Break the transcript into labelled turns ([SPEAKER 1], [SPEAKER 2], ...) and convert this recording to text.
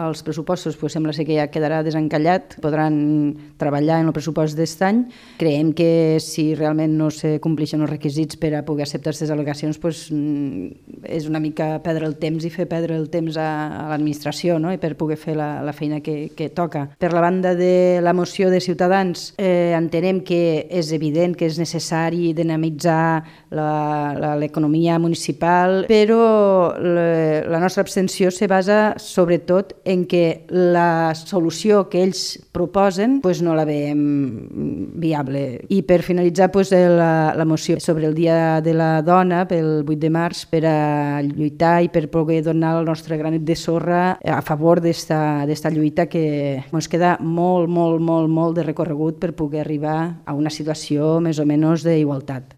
[SPEAKER 1] als pressupostos sembla ser que ja quedarà desencallat, podran treballar en el pressupost d'aquest any. Creiem que si realment no se compleixen els requisits per a poder acceptar aquestes al·legacions, és una mica perdre el temps i fer perdre el temps a l'administració, no? I per poder fer la feina que toca. Per la banda de la moció de Ciutadans, entenem que és evident que és necessari dinamitzar l'economia municipal, però la nostra abstenció se basa sobretot en que la solució que ells proposen no la veiem viable. I per finalitzar la moció sobre el Dia de la Dona, pel 8 de març, per a lluitar i per poder donar el nostre granet de sorra a favor d'esta lluita que ens queda molt de recorregut per poder arribar a una situació més o menys d'igualtat.